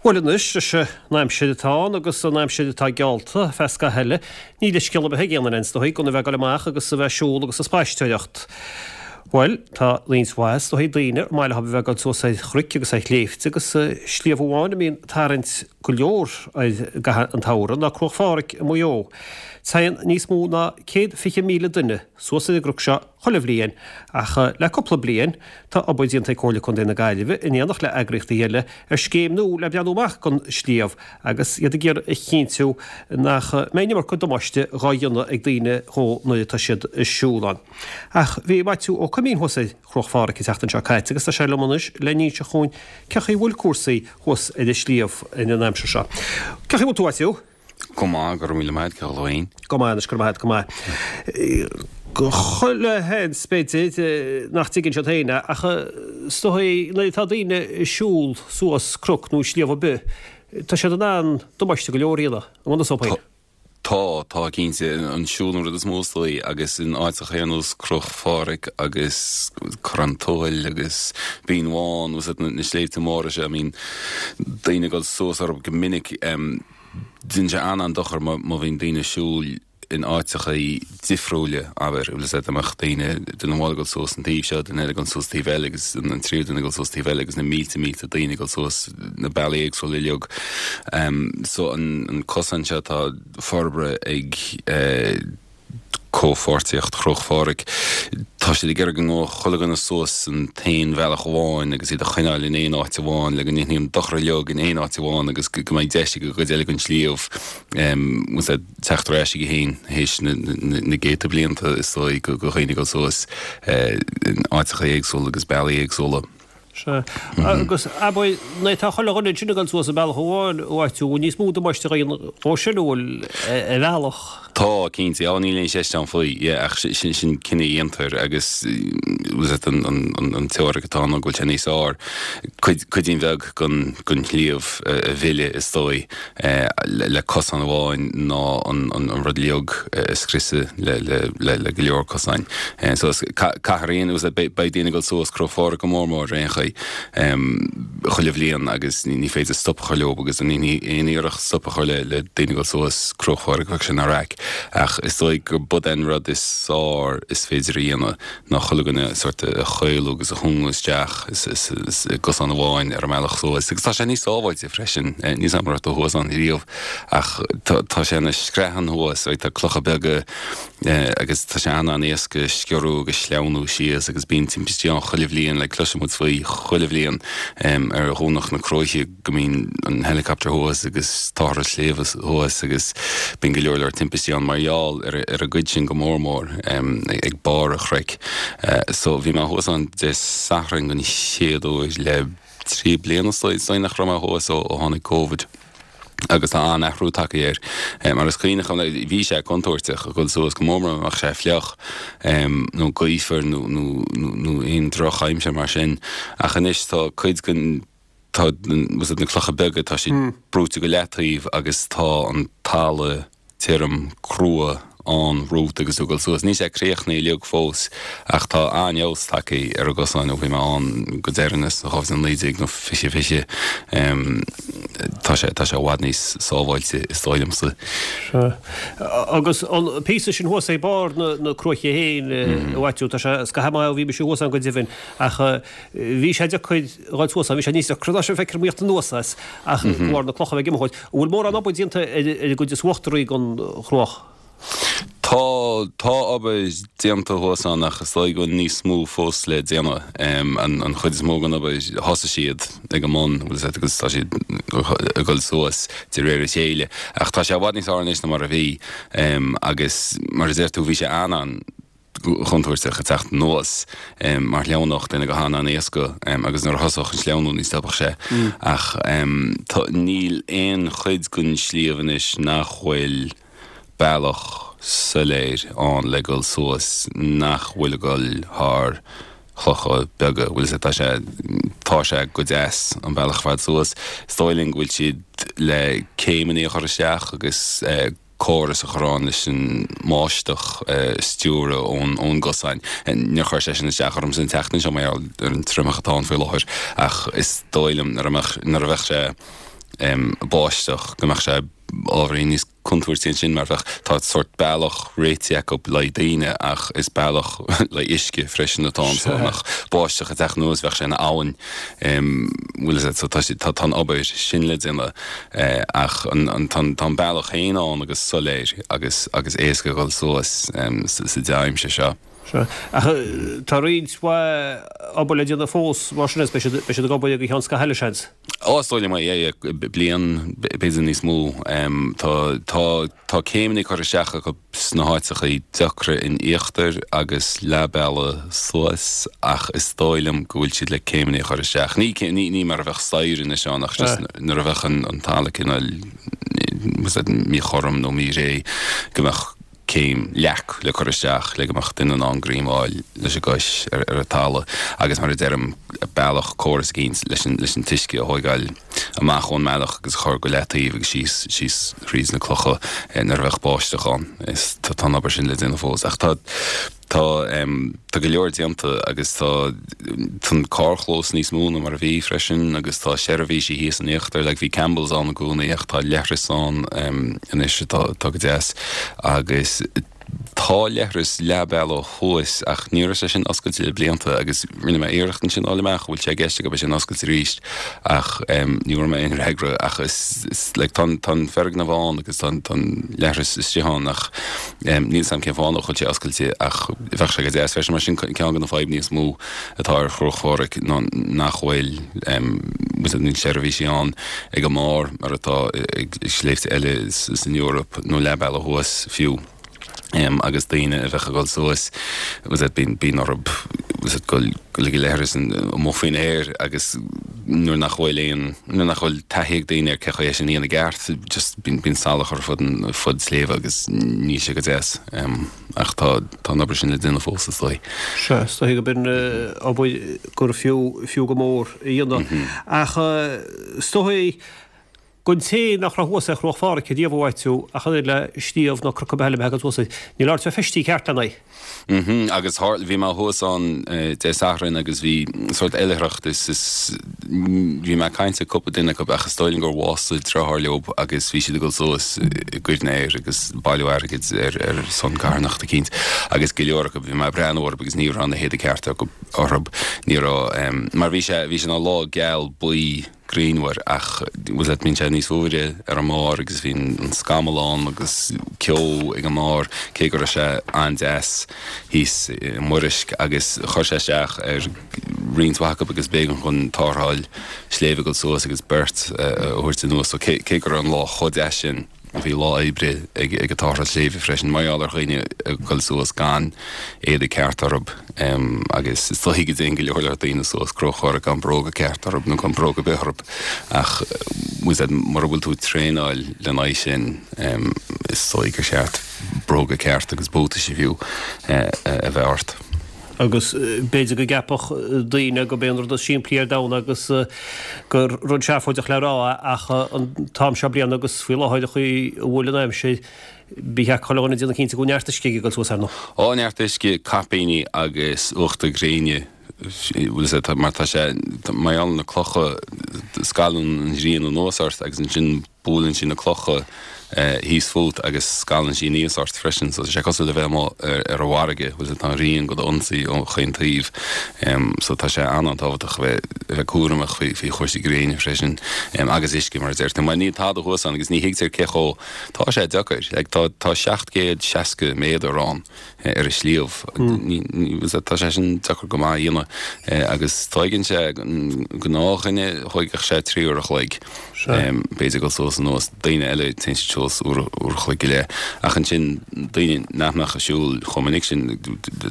Bhuel anois, leis an aimsir atá ann agus an aimsir atá geallta feadh scaithimh eile, níl leithscéal ar bith ag aon duine is dóigh gan a bheith ag dul amach agus a bheith ag siúl agus ag spaisteoireacht. Bhuel, tá roinnt mhaith is dóigh daoine ar maith leo a bheith ag dul suas ar chnoic agus ar shléibhte agus sliabh amháin a mbíonn tarraingt go leor air i gcaitheamh an tsamhraidh ná Cruach Phádraig i Maigh Eo. Téann níos mó ná 120,000 duine suas ar an gcnoc seo chuile bhliain, ach le cúpla bliain, tá obair déanta ag Comhairle Contae na Gaillimhe, in éineacht le eagraíochtaí eile, ar scéim nua le breathnú amach don sliabh, agus iad ag iarraidh a chinntiú nach mbeidh an iomarca damáiste dhá dhéanamh ag daoine dhó nuair atá siad ag siúl ann. Ach bhí Maitiú Ó Coimín thuas ar Chruach Phádraig an tseachtain seo caite agus tá sé liom anois le n-inse dhúinn cé chaoi a bhfuil cúrsaí thuas ar an sliabh an aimsir seo. Cé chaoi a bhfuil tú, a Mhaitiú? Go maith, go raibh míle maith agat, Cathal féin. Go maith anois, go raibh maith agat, go maith. Chuile sheans, b'fhéidir, nach dtuigeann siad féin é, ach is dóigh nuair atá daoine ag siúl suas cnoc nó sliabh ar bith, tá siad in ann damáiste go leor a dhéanamh, an bhfuil a fhios agat féin? Tá, tá cinnte. An siúl an rud is mó is dóigh, agus in áiteacha ar nós Cnoc Phádraig agus Corrán Tuathail agus Binn Bhán agus na sléibhte móra seo, a mbíonn daoine ag dul suas orthu go minic. Déanann sé an-an-dochar má bhíonn daoine ag siúl in áiteacha difriúla, abair, bhfuil 'fhios a'd, dá mbeadh daoine, duine amháin ag dul suas an taobh seo, duine eile ag dul suas taobh eile agus an tríú duine ag dul suas taobh eile agus na mílte mílte daoine ag dul suas na bealaí éagsúla uilig. So an cosán seo atá forbartha ag eh, Comhpháirtíocht Chruach Phádraig. Tá siad ag iarraidh go ngabhfadh chuile dhuine suas an t-aon bhealach amháin agus iad a choinneáil in aon áit amháin le go ndéanfaí an dochar uilig in aon áit amháin agus go mbeidh deis ag an gcuid eile den sliabh teacht ar ais chuige féin théis na gcéadta blianta is dóigh go dhaoine ag dul suas in áiteacha éagsúla agus bealaí éagsúla. Sea. Agus abair, nuair atá chuile dhuine ansin ag dul suas an bealach amháin, a Mhaitiú, bhfuil níos mó damáiste á dhéanamh dhó sin, an bhfuil, ar bhealach? Tá, cinnte. Á, níl aon cheist ann faoi. Yeah, ach sin, sin cinneadh a dhéantar agus bhfuil 'fhios a'd an, an, an teoiric atá ann ná go bhfuil sé níos fearr cuid, cuidín bheag den, den shliabh a, a mhilleadh is dóigh. le cosán amháin ná an rud uilig a scriosadh le go leor cosáin. So caithfear a dhéanamh, beidh daoine ag dul suas Cnoc Phádraig go mór mór ar aon chaoi chuile bhliain agus ní féidir stop a chur leo agus ní aon iarracht stop a chur le daoine ag dul suas Cnoc Phádraig bheadh sé ina raic. Ach is dóigh gur b'é an rud is fearr is féidir a dhéanamh ná chuile dhuine sórt a chaolú agus a chúngú isteach i gcosán amháin ar an mbealach suas. Agus tá sé níos sábháilte freisin. Níl 'fhios a'm an raibh tú thuas ann riamh ach tá sé ina screathan thuas, tá clocha beaga agus tá sé an-an-éasca sciorradh agus sleamhnú síos agus bíonn timpistí ann chuile bhliain, like cloiseann muid faoi chuile bhliain ar Dhomhnach na Cróiche. go mbíonn an helicopter thuas agus táthar an sliabh thuas agus bíonn go leor leor timpistí ann mar gheall ar ar an gcuid sin go mór mór ag barr an chnoic. So bhí mé thuas ann Dé Sathairn den chéad uair le 3 bliana is dóigh nach raibh mé thuas ó tháinig Covid agus tá an-athrú tagtha air mar is cuimhneach liom bhí sé contúirteach a dhul suas go mór mór má bheadh sé fliuch nó gaofar nó nó nó aon drochaimsir mar sin ach anois tá cuid den tá na clocha beaga, tá siad brúite go leataobh agus tá an talamh tirim crua ann romhat agus tú ag dul suas. Níl sé críochnaithe uilig fós ach tá an-fheabhas tagtha ar an gcosán ó bhí mé ann go deireanas, 2019 nó 2020. Tá sé, tá sé i bhfad níos sábháilte is dóigh liomsa. Sea. Agus an píosa sin thuas ag barr na cruaiche féin, a Mhaitiú, tá sé scaitheamh maith ó bhí mise thuas ann go deimhin ach Bhí sé deacair a dhul suas ann, bhí sé níos deacra ná sin feictear dom a thíocht anuas as, ach de bharr na clocha a bheith ag imeacht. An bhfuil mórán obair déanta ar an gcuid is uachtaraí den chruach? Tá, tá obair déanta thuas ann ach is dóigh go bhfuil níos mó fós le déanamh. An chuid is mó den obair, thosaigh siad ag an mbun, bhfuil 'fhios a'd, agus tá siad ag dul suas de réir a chéile. Ach tá sé i bhfad níos fearr anois ná mar a bhí agus mar a deir tú, bhí sé an-an, chontúirteach ag teacht anuas mar shleamhnódh duine go han-an-éasca agus nuair a thosódh an sleamhnú ní stopfadh sé. Ach níl aon chuid den sliabh anois nach bhfuil bealach soiléir ann le dul suas nach bhfuil ag dul thar chlocha beaga. Bhfuil 'fhios a'd, tá sé, tá sé go deas an bealach ar fad suas. Is dóigh linn go bhfuil siad le céimeanna a chur isteach agus córas a chur ann leis an mbáisteach a stiúradh ón gcosán. Níor chuir sé sin isteach ormsa an tseachtain seo mar gheall ar an triomach atá ann faoi láthair ach is dóigh liom nuair a mbeadh, nuair a bheadh sé. báisteach go mbeadh sé ábhairín níos contúirtí ansin mar bheadh, tá sórt bealach réitithe acu le haghaidh daoine ach is bealach le haghaidh uisce freisin atá ann so dá mbeadh báisteach ag teacht anuas bheadh sé ina abhainn bhfuil a fhios agat so tá tá tá an obair sin le déanamh ach an an tá tá an bealach féin ann agus soiléir agus agus éasca a dhul suas sa dea-aimsir seo. Sea. Ach tá roinnt mhaith obair le déanamh fós mar sin is beidh siad, beidh siad ag obair go ceann scaithimh eile, seans. Ó, is dóigh liom é, yeah, yeah, bliain, b'fhéidir níos mó. Tá, tá, tá céimeanna curtha isteach acu sna háiteachaí deacra in íochtar agus leath bealaigh suas ach is dóigh liom go bhfuil siad le céimeanna a chur isteach. Ní, ní, ní mar a bheadh staighre anois ann ach just nuair a bheadh an, an talamh cineál, míchothrom nó míréidh go mbeadh céim, leac le cur isteach le go mbeadh duine in ann greim a fháil leis an gcois ar an talamh agus mar a deirim, bealach, córas eicínt leis an leis an t-uisce a thóigeáil amach ón mbealach agus a chur go leataobh agus síos síos thríd na clocha nuair a bheadh báisteach ann. Is tá an obair sin le déanamh fós ach tá Tá tá go leor déanta agus tá tá an carrchlós níos mó ná mar a bhí freisin agus tá seirbhísí thíos in íochtar, like bhí Campbell's ann i gcónaí ach tá leithreas ann anois atá atá go deas agus tá leithreas leath bealaigh thuas ach ní raibh sé sin oscailte le blianta agus rinne mé iarracht ansin fháil amach an bhfuil sé i gceist acu é sin a oscailt arís ach ní bhfuair mé aon fhreagra ach is is like tá an tá an foirgneamh ann agus tá an tá an leithreas istigh ann ach Níl 'fhios a'm cén fáth nach bhfuil sé oscailte ach bheadh sé go deas freisin mar sin ceann de na fadhbanna is mó atá ar Chruach Phádraig ná nach bhfuil níl seirbhísí ann ag an mbarr mar atá ag sléibhte eile san Eoraip nó leath bealaigh thuas fiú agus daoine a bheadh ag dul suas bíonn bíonn orthu dul go dtí leithreas amuigh faoin aer agus nuair nach bhfuil aon, nuair nach bhfuil taithí ag daoine ar cé chaoi é sin a dhéanamh i gceart, just bíonn, bíonn salach ar fud an, fud sléibhe agus níl sé go deas. Ach tá, tá an obair sin le déanamh fós, is dóigh. Sea, is dóigh gurb in obair gur fiú, fiú go mór a dhéanamh. Ach is dóigh Don té nach raibh thuas ar Chruach Phádraig riamh a Mhaitiú, ach an oiread le sliabh nó cnoc ar bith eile a bheith agat thuas air, níl ort bheith feistithe ceart lena aghaidh. Mhm, agus tharla, bhí mé thuas ann Dé Sathairn agus bhí sórt oilithreacht is, is, bhí mé ag caint le cúpla duine acu ach is dóigh liom gur bhásaigh deartháir leob agus bhí siad ag dul suas i gcuimhne air agus bailiú airgid ar, ar son carthanacht eicínt agus go leor acu, bhí mé ag breathnú orthu agus ní raibh na héadaí cearta acu orthu, ní raibh, mar bhí sé, bhí sé ina lá geal buí, grianmhar ach bhfuil a fhios agat bíonn sé níos fuaire ar an mbarr agus bhí an scamall ann agus ceo ag an mbarr cé go raibh sé an-deas thíos i Muirisc agus chuir sé isteach ar roinnt mhaith acu agus b'éigean dhon tarrtháil sléibhe dul suas agus beirt a thabhairt anuas so cé go raibh an lá chomh deas sin Bhí lá oibre ag an tarrtháil sléibhe freisin mar gheall ar dhaoine ag dul suas gan éadaí ceart orthu agus is dóigh go dtéann go leor leor daoine suas Cruach Phádraig gan bróga ceart orthu nó gan bróga ar bith orthu ach bhfuil a fhios agat mura bhfuil tú ag traenáil lena aghaidh sin is dóigh gur cheart bróga ceart agus buataisí fiú a bheith ort. Agus b'fhéidir go gceapfadh daoine gurb é an rud is simplí ar domhan agus gur rud seafóideach le rá é ach an t-am seo bliana agus faoi láthair an chaoi a bhfuil an aimsir, ba cheart chuile dhuine déanamh cinnte go bhfuil neart uisce aige ag dul suas ar ndóigh. Ó, neart uisce, caipíní agus uachtar gréine, bhfuil a fhios agat, mar tá sé, mar gheall ar na clocha, scalann an ghrian anuas ort agus ansin Buaileann sí na clocha thíos fút agus scalann sí aníos ort freisin. So tá sé cosúil le bheith amuigh ar an bhfarraige, bhfuil tá an ghrian do d'ionsaí ó chaon taobh. So tá sé an-an-tábhachtach a bheith a bheith cúramach faoi faoi chúrsaí gréine freisin agus uisce mar a deir tú. Mar níl tada thuas ann agus ní thuigtear cé chomh tá sé deacair. Like tá tá 760 méadar ann ar an sliabh. Tá sé sin deacair go maith a dhéanamh agus tóigeann sé gnáthdhuine thóigfeadh sé 3 uair a chloig. B'fhéidir dul suas anuas, daoine eile téann siad suas uair a chloig go leith. Ach ansin daoine nach mbeadh ag siúl chomh minic sin,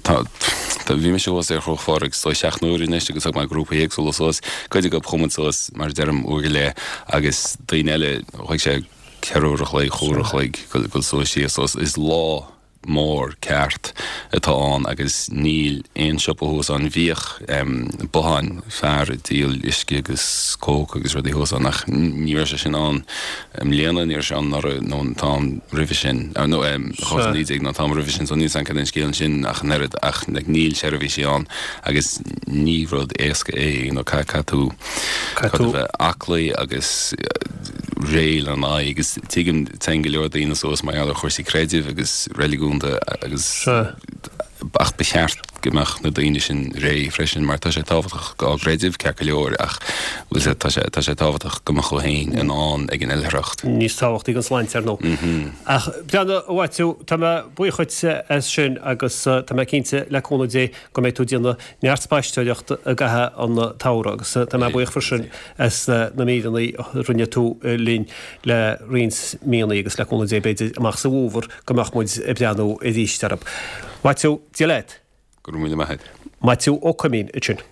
tá, bhí mise thuas ar Chruach Phádraig is dóigh 7 n-uaire anois agus thug mé grúpaí éagsúla suas, cuid acu chuaigh muid suas mar a deirim uair go leith agus daoine eile thóg sé 4 uair a chloig, chúig uair a chloig dul suas síos. So is lá. mór ceart atá ann agus níl aon siopa thuas ann. Bhíodh botháin, fear ag díol uisce agus coke agus rudaí thuas ann ach ní raibh sé sin ann i mbliana, ní raibh sé ann anuraidh nó an t-am roimhe sin, nó 2019 nó an t-am roimhe sin so níl 's agam cad é an scéal ansin ach an oiread ach like níl seirbhísí ann agus ní rud éasca é, you know caithfidh tú, caithfidh tú a bheith aclaí agus réidh lena aghaidh agus tuigim téann go leor daoine suas mar gheall ar chúrsaí creidimh agus reiligiúnda agus ach ba cheart go mbeadh na daoine sin réidh freisin mar tá sé tábhachtach dá gcreideamh ceart go leor ach bhfuil sé tá sé tá sé tábhachtach go mbeadh tú féin in ann ag an oilithreacht. Níos tábhachtaí an sláinte ar ndóigh. Ach breathnaigh a Mhaitiú, tá mé buíoch dhuit as sin agus tá mé cinnte le cúnamh Dé go mbeidh tú ag déanamh neart spaisteoireachta i gcaitheamh an tsamhraidh agus tá mé buíoch freisin as na míreanna a rinne tú linn le roinnt míonna agus le cúnamh Dé b'fhéidir amach sa bhfómhar go mbeadh muid ag breathnú arís orthu. Maitiú, Dia leat. Go raibh míle maith agat. Maitiú Ó Coimín ansin.